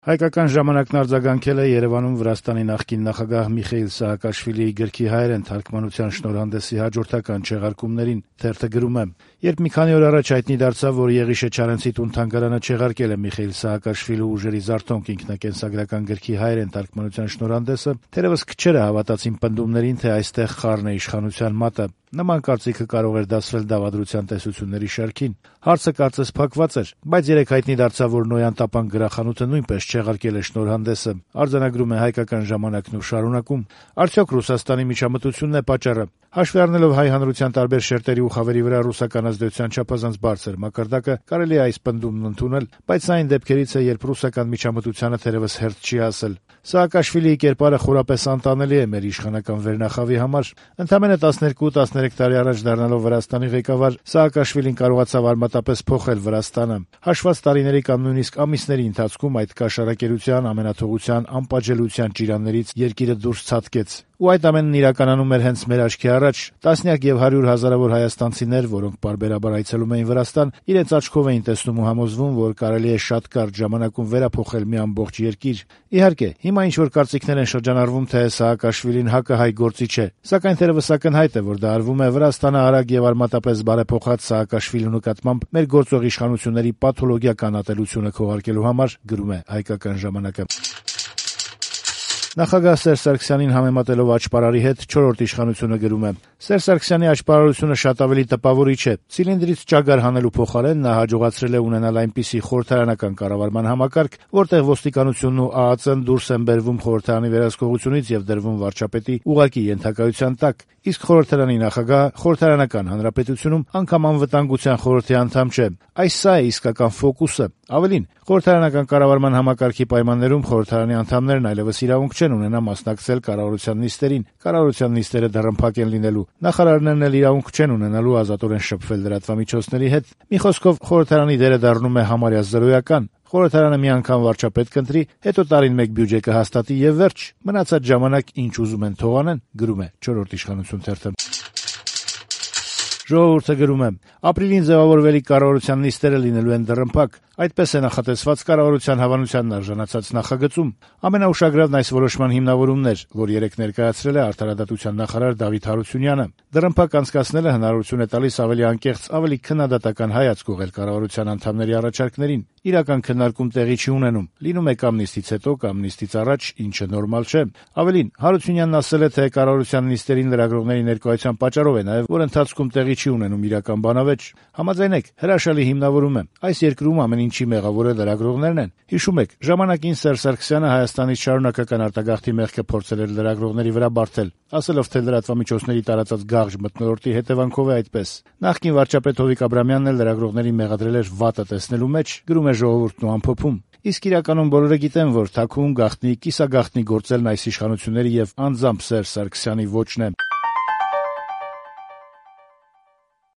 Հայկական ժամանակն արձագանքել է Երևանում Վրաստանի նախկին նախագահ Միխեիլ Սահակաշվիլիի գրքի հայերեն թարգմանության շնորհանդեսի հաջորդական չեղարկումներին։ Թերթը գրում է. «Երբ մի քանի օր առաջ հայտնի դարձավ, որ Եղիշե Չարենցի տուն-թանգարանը չեղարկել է Միխեիլ Սահակաշվիլու ուժերի զարթոնք ինքնակենսագրական գրքի հայերեն թարգմանության շնորհանդեսը, թերևս քչերը հավատացին պնդումներին, թե այստեղ խառն է իշխանության մատը։ Նման կարծիքը կարող էր դասվել դավադրության տեսությունների շարքին։ Հարցը կարծես փակված էր, բայց երեկ հայտնի դարձավ, որ Նոյան Տապան գրախանութը նույնպես չեղարկել է շնորհանդեսը», արձանագրում է Հայկական ժամանակն ու շարունակում. «Արդյոք Ռուսաստանի միջամտությունն է պատճառը։ Հաշվի առնելով հայ հանրության տարբեր շերտերի ու խավերի վրա ռուսական ազդեցության չափազանց բարձր մակարդակը, կարելի է այս պնդումն ընդունել, բայց սա այն դեպքերից է, երբ ռուսական միջամտությանը թերևս հերթ չի ասել։ Սահակաշվիլիի կերպարը խորապես անտանելի է մեր իշխանական վերնախավի համար։ Ընդամենը 12-13 տարի առաջ դառնալով Վրաստանի ղեկավար, Սահակաշվիլին կարողացավ արմատապես փոխել Վրաստանը։ Հաշված տարիների կամ նույնիսկ ամիսների ընթացքում այդ կաշառակերության, ամենաթողության, անպատժելիության ճիրաններից երկիրը դուրս ցատկեց։ Ու այդ ամենն իրականանում էր հենց մեր աչքի առաջ։ Տասնյակ եւ 100 հազարավոր հայաստանցիներ, որոնք պարբերաբար այցելում էին Վրաստան, իրենց աչքով էին տեսնում ու համոզվում, որ կարելի է շատ կարճ ժամանակում վերափոխել մի ամբողջ երկիր։ Իհարկե, հիմա ինչ-որ կարծիքներ են շրջանառվում, թե Սահակաշվիլին հակահայ գործիչ է, սակայն թերևս ակնհայտ է, որ դա արվում է Վրաստանը արագ եւ արմատապես բարեփոխած Սահակաշվիլու նկատմամբ մեր գործող իշխանությունների պաթոլոգիական ատելությունը քողարկելու համար, գրում է Հայկական ժամանակը։ Նախագահ Սերժ Սարգսյանին համեմատելով աճպարարի հետ չորրորդ իշխանությունը գրում է. «Սերժ Սարգսյանի աճպարարությունը շատ ավելի տպավորիչ է։ Ցիլինդրից ճագար հանելու փոխարեն նա հաջողացրել է ունենալ այնպիսի խորհրդարանական կառավարման համակարգ, որտեղ ոստիկանությունն ու ԱԱԾ-ն դուրս են բերվում խորհրդարանի վերահսկողությունից եւ դրվում վարչապետի ուղղակի ենթակայության տակ, իսկ խորհրդարանի նախագահը խորհրդարանական հանրապետությունում անգամ անվտանգության խորհրդի անդամ չէ։ Այս սա է իսկական ֆոկուսը։ Ավելին, խորհրդարանական կառավարման համակարգի պայմաններում խորհրդարանի անդամներն այլևս իրավունք չեն ունենա մասնակցել կառավարության նիստերին, կառավարության նիստերը դռնփակ են լինելու, նախարարներն էլ իրավունք չեն ունենալու ազատորեն շփվել լրատվամիջոցների հետ։ Մի խոսքով, խորհրդարանի դերը դառնում է համարյա զրոյական։ Խորհրդարանը մի անգամ վարչապետ կընտրի, հետո տարին մեկ բյուջե կհաստատի եւ վերջ։ Մնացած ժամանակ ինչ ուզում են թող անեն», գրում է չորրորդ իշխանություն թերթը։ Ժողովուրդը գրում է. «Ապրիլին ձևավորվելիք կառավարության նիստերը լինելու են դռնփակ։ Այդպես է նախատեսված կառավարության հավանությանն արժանացած նախագծում։ Ամենաուշագրավն այս որոշման հիմնավորումն էր, որ երեկ ներկայացրել է արդարադատության նախարար Դավիթ Հարությունյանը։ Դռնփակ անցկացնելը հնարավորություն է տալիս ավելի անկեղծ, ավելի քննադատական հայացք ուղղել կառավարության անդամների առաջարկներին։ Իրական քննարկում տեղի չի ունենում, լինում է կամ նիստից հետո, կամ նիստից առաջ, ինչը նորմալ չէ։ Ավելին, Հարությունյանն ասել է, թե կառավարության նիստերին լրագրողների ներկայության պատճառով է նաև, որ ընթացքում տեղի չի ունենում իրական բանավեճ։ Համաձայնեք, հրաշալի հիմնավորում է։ Այս երկրում ամեն ինչի մեղավորը լրագրողներն են։ Հիշում եք, ժամանակին Սերժ Սարգսյանը Հայաստանից շարունակական արտագաղթի մեղքը փորձել էր լրագրողների վրա բարթել, ասելով, թե լրատվամիջոցների տարածած գաղջ մթնոլորտի հետևանքով է այդպես։ Նախկին վարչապետ Հովիկ Աբրամյանն էլ լրագրողներին մեղադրել էր վատը տեսնելու մեջ, գրում է Ժողովուրդն ու ամփոփում։ Իսկ իրականում բոլորը գիտեն, որ թաքուն գաղտնի, կիսագաղտնի գործելն այս իշխանությունների եւ անձամբ Սերժ Սարգսյանի ոճն է։